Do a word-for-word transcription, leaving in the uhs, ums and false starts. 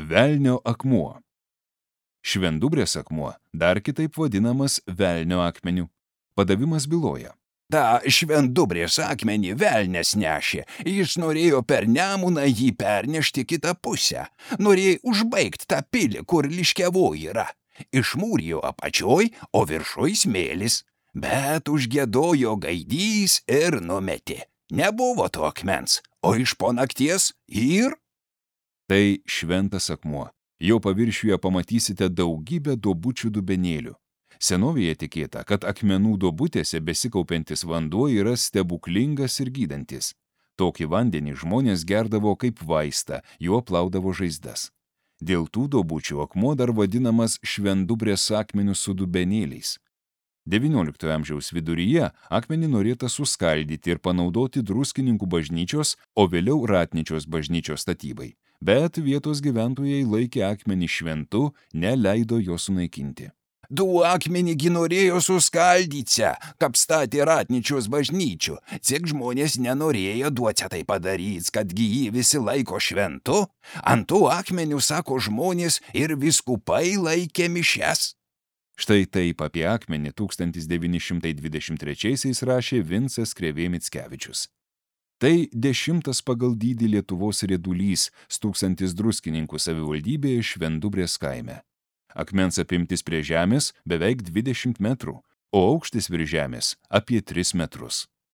Velnio akmuo. Švendubrės akmuo, dar kitaip vadinamas velnio akmeniu. Padavimas byloja. Ta švendubrės akmenį velnias nešė, jis norėjo per Nemuną jį pernešti kitą pusę, norėjo užbaigti tą pilį, kur liškiavoji yra. Išmūrijo apačioj, o viršuj smėlis, bet užgiedojo gaidys ir numetė. Nebuvo to akmens, o iš po nakties ir... Tai šventas akmuo. Jo paviršiuje pamatysite daugybę duobučių dubenėlių. Senovėje tikėta, kad akmenų duobutėse besikaupiantis vanduo yra stebuklingas ir gydantis. Tokį vandenį žmonės gerdavo kaip vaistą, juo plaudavo žaizdas. Dėl tų duobučių akmuo dar vadinamas švendubrės akmeniu su dubenėliais. devynioliktojo amžiaus viduryje akmenį norėta suskaldyti ir panaudoti Druskininkų bažnyčios, o vėliau Ratnyčios bažnyčios statybai. Bet vietos gyventojai laikė akmenį šventu, neleido jo sunaikinti. Du akmenį gi norėjo suskaldyce, kaip statė Ratnyčios bažnyčių. Cik žmonės nenorėjo duoti tai padaryti, kad gi jį visi laiko šventu. Ant tų akmenių, sako žmonės, ir vyskupai laikė mišes. Štai taip apie akmenį tūkstantis devyni šimtai dvidešimt trečiaisiais rašė Vincas Krėvė Mickevičius. Tai dešimtas pagal dydį Lietuvos riedulys, stūksantis Druskininkų savivaldybėje Švendubrės kaime. Akmens apimtis prie žemės beveik dvidešimt metrų, o aukštis virš žemės apie tris metrus.